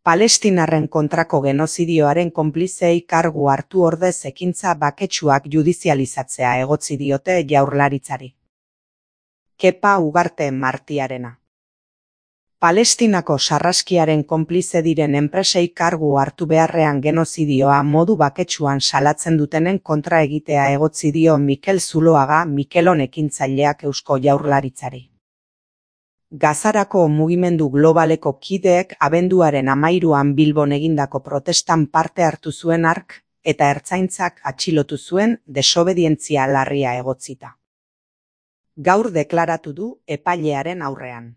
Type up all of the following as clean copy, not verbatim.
Palestinarren kontrako genozidioaren konplizeei kargu hartu ordez ekintza baketsuak judizializatzea egotzi diote Jaurlaritzari. Kepa Ugarte Martiarena. Palestinako sarraskiaren konplize diren enpresei kargu hartu beharrean genozidioa modu baketsuan salatzen dutenen kontra egitea egotzi dio Mikel Zuloaga Mikelon ekintzaileak Eusko Jaurlaritzari. Gazarako mugimendu globaleko kideek abenduaren 13an Bilbon egindako protestan parte hartu zuen hark eta ertzaintzak atxilotu zuen desobedientzia larria egotzita. Gaur deklaratu du epailearen aurrean.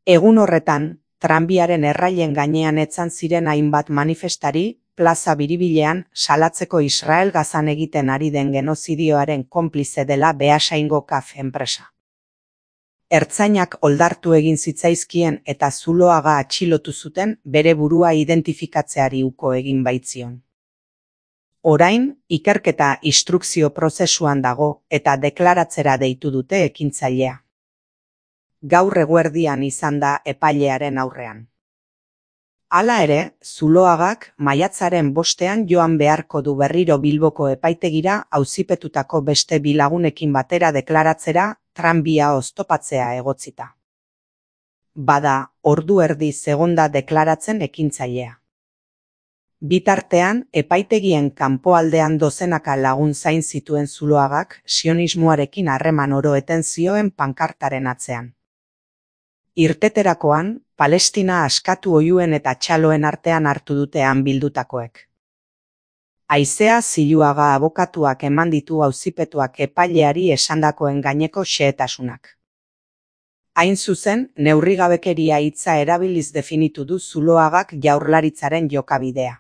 Egun horretan, tranbiaren errailen gainean etzan ziren hainbat manifestari, plaza biribilean salatzeko Israel Gazan egiten ari den genozidioaren konplize dela Beasaingo KAF enpresa. Ertzainak oldartu egin zitzaizkien eta Zuloaga atxilotu zuten bere burua identifikatzeari uko egin baitzion. Orain, ikerketa instrukzio prozesuan dago eta deklaratzera deitu dute ekintzailea. Gaur eguerdian izan da epailearen aurrean. Hala ere, Zuloagak maiatzaren 5ean joan beharko du berriro Bilboko epaitegira auzipetutako beste bi lagunekin batera deklaratzera tranbia oztopatzea egotzita. Bada, ordu erdi egonda deklaratzen ekintzailea. Bitartean, epaitegien kanpoaldean dozenaka lagun zain zituen Zuloagak sionismoarekin harreman oro eten zioen pankartaren atzean. Irteterakoan, Palestina askatu oihuen eta txaloen artean hartu dutean bildutakoek. Haizea Ziluaga abokatuak eman ditu auzipetuak epaileari esandakoen gaineko xehetasunak. Hain zuzen, neurrigabekeria hitza erabiliz definitu du Zuloagak Jaurlaritzaren jokabidea.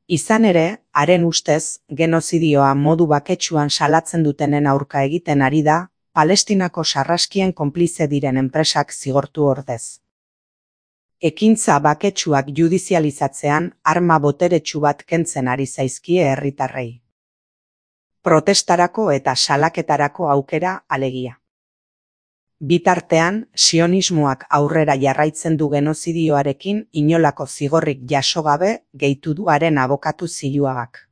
Izan ere, haren ustez, genozidioa modu baketsuan salatzen dutenen aurka egiten ari da, Palestinako sarraskien konplize diren enpresak zigortu ordez. Ekintza baketsuak judizializatzean arma boteretsu bat kentzen ari zaizkie herritarrei. Protestarako eta salaketarako aukera alegia. Bitartean, sionismoak aurrera jarraitzen du genozidioarekin inolako zigorrik jaso gabe gehitu du haren abokatu Ziluagak.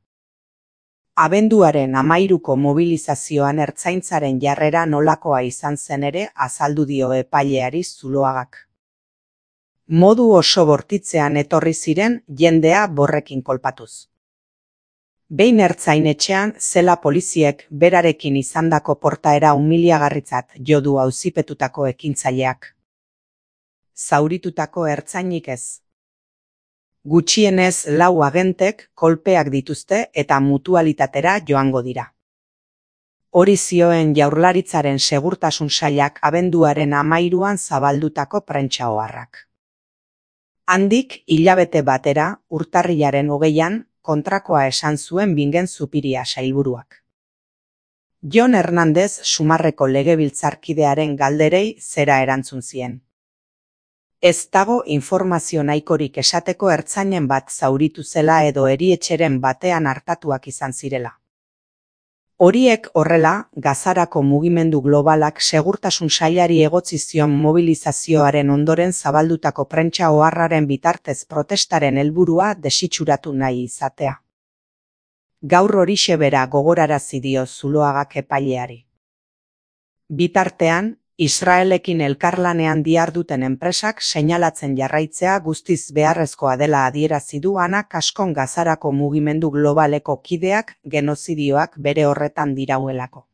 Abenduaren 13ko mobilizazioan ertzaintzaren jarrera nolakoa izan zen ere azaldu dio epaileari Zuloagak. Modu oso bortitzean etorri ziren jendea borrekin kolpatuz. Behin ertzainetxean zela poliziek berarekin izandako portaera umiliagarritzat jo du auzipetutako ekintzaileak. Zauritutako ertzainik ez. Gutxienez 4 agentek kolpeak dituzte eta mutualitatera joango dira. Hori zioen Jaurlaritzaren segurtasun sailak abenduaren 13an zabaldutako prentsa oharrak. Handik hilabete batera, urtarrilaren 20an, kontrakoa esan zuen Bingen Zupiria sailburuak. Jon Hernandez Sumarreko legebiltzarkidearen galderei zera erantzun zien. Ez dago informazio nahikorik esateko ertzainen bat zauritu zela edo erietxeren batean artatuak izan zirela. Horiek horrela, Gazarako mugimendu globalak segurtasun sailari egotzi zion mobilizazioaren ondoren zabaldutako prentsa oharraren bitartez protestaren helburua desitxuratu nahi izatea. Gaur horixe bera gogorarazi dio Zuloagak epaileari. Bitartean, Israelekin elkarlanean diharduten enpresak seinalatzen jarraitzea guztiz beharrezkoa dela adierazi du Ana Kaskon Gazarako mugimendu globaleko kideak genozidioak bere horretan dirauelako.